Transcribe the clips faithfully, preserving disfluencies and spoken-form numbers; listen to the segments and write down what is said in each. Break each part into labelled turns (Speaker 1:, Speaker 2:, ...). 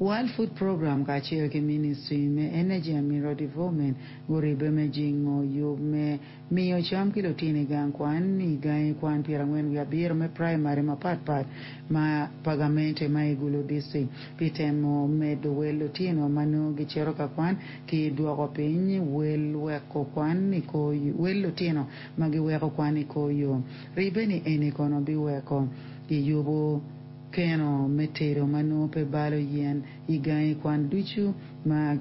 Speaker 1: World Food Program kacel ki Ministry me Energy and Mineral Development guribbe me jingo yub me miyo cam ki lutino i gang kwan i gangi kwan pyerangwen wiye abiro me praimari mapatpat ma pa gamente ma i Gulu District pi temo medo wel lutino ma nongo gicito ka kwan ki dwoko piny wel weko kwan i kor wel lutino ma giweko kwan i kor yo ribbe ni eni kono biweko kiyubo keno me tedo ma nongo pe balo yen i gangi kwan ducu ma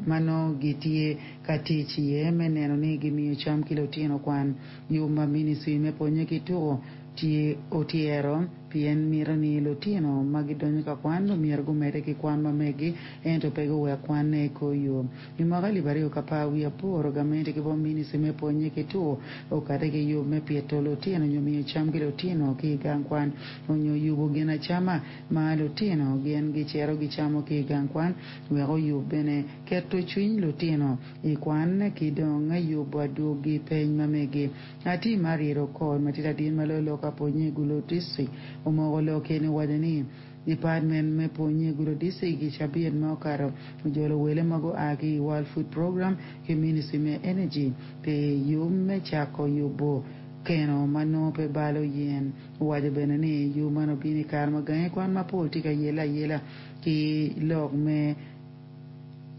Speaker 1: ma nongo gitye ka tic iye me neno ni gimiyo cam ki lutino kwan. Yub ma Ministry me pwonye ki tuko tye otyero pien mito ni lutino ma gidonyo ka kwan myero gumedde ki kwan ma megi ento pe guwek kwanne i kor yo. I mwaka alip aryo ki apar wiye aboro gamente ki bo Ministry me pwonye ki tuko okate ki yub me pito lutino nyo miyo cam ki lutino ki i gang kwan onyo yubo ginacama ma lutino gin gicito gicamo ki i gang kwan wek oyub bene keto cwiny lutino i kwan ki dong yubo adwogi peny ma megi. Ati Mariet Okot ma tye ladit ma loyo lok ka pwonye i Gulu District omoko lok eni owaco ni Department me pwonye i Gulu District i cabit ma okato ojolo wele ma gua ki i World Food Program ki Ministry me Energy pi yub me cako yubo keno ma nongo pe balo yen. Owaco bene ni yub man obino i kare ma gangi kwan mapol tye ka yele ayela ki lok me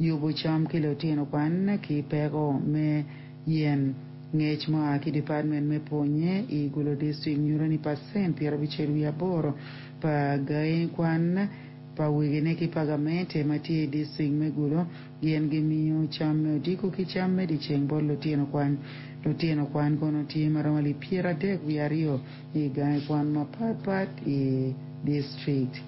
Speaker 1: yubo cam ki lutino kwan ki peko me yen. Ngec mua ki department me pwonye i Gulu District nyuto ni pacent pyerabicel wiye aboro pa gangi kwan pa wegine ki pa gamente ma tye i district me Gulu gin gimiyo cam me odiko ki cam me dyeceng bot lutino kwan. Lutino kwan kono tye maromo alip pyeradek wiye aryo i gangi kwan mapatpat i district.